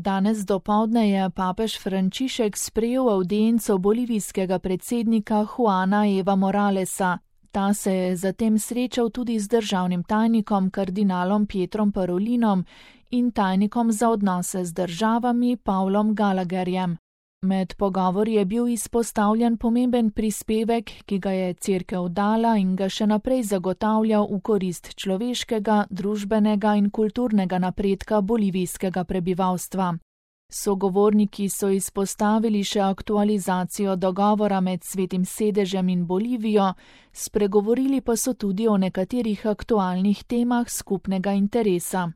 Danes dopoldne je papež Frančišek sprejel avdienco bolivijskega predsednika Juana Eva Moralesa. Ta se je zatem srečal tudi z državnim tajnikom kardinalom Pietrom Parolinom in tajnikom za odnose z državami Pavlom Gallagherjem. Med pogovori je bil izpostavljen pomemben prispevek, ki ga je Cerkev dala in ga še naprej zagotavlja v korist človeškega, družbenega in kulturnega napredka bolivijskega prebivalstva. Sogovorniki so izpostavili še aktualizacijo dogovora med Svetim sedežem in Bolivijo, spregovorili pa so tudi o nekaterih aktualnih temah skupnega interesa.